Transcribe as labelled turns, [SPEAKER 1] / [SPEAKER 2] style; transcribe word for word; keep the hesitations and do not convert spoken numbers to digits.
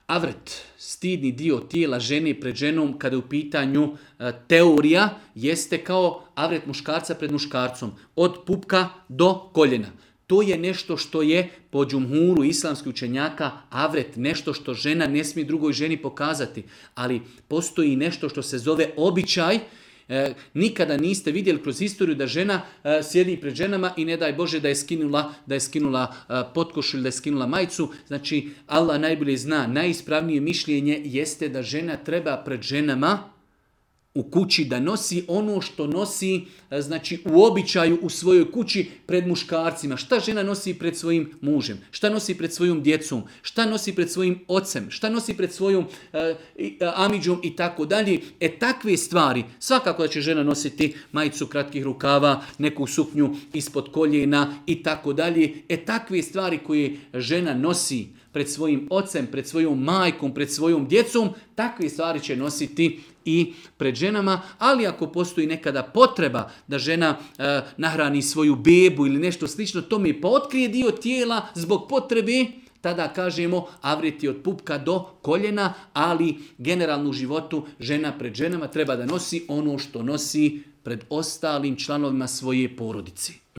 [SPEAKER 1] Avret, stidni dio tijela žene pred ženom kada je u pitanju e, teorija, jeste kao avret muškarca pred muškarcom. Od pupka do koljena. To je nešto što je po džumhuru islamskih učenjaka avret, nešto što žena ne smije drugoj ženi pokazati. Ali postoji nešto što se zove običaj. E, nikada niste vidjeli kroz historiju da žena e, sjedi pred ženama i ne daj Bože da je skinula, da je skinula e, potkošulju, da je skinula majicu. Znači Allah najbolje zna, najispravnije mišljenje jeste da žena treba pred ženama u kući da nosi ono što nosi, znači u običaju u svojoj kući pred muškarcima. Šta žena nosi pred svojim mužem? Šta nosi pred svojom djecom? Šta nosi pred svojim ocem? Šta nosi pred svojom e, amidžom i tako dalje? E takve stvari, svakako da će žena nositi majicu kratkih rukava, neku suknju ispod koljena i tako dalje. E takve stvari koje žena nosi pred svojim ocem, pred svojom majkom, pred svojom djecom, takve stvari će nositi i pred ženama, ali ako postoji nekada potreba da žena e, nahrani svoju bebu ili nešto slično, to mi pa otkrije dio tijela zbog potrebe, tada kažemo avret je od pupka do koljena, ali generalno u životu žena pred ženama treba da nosi ono što nosi pred ostalim članovima svoje porodice.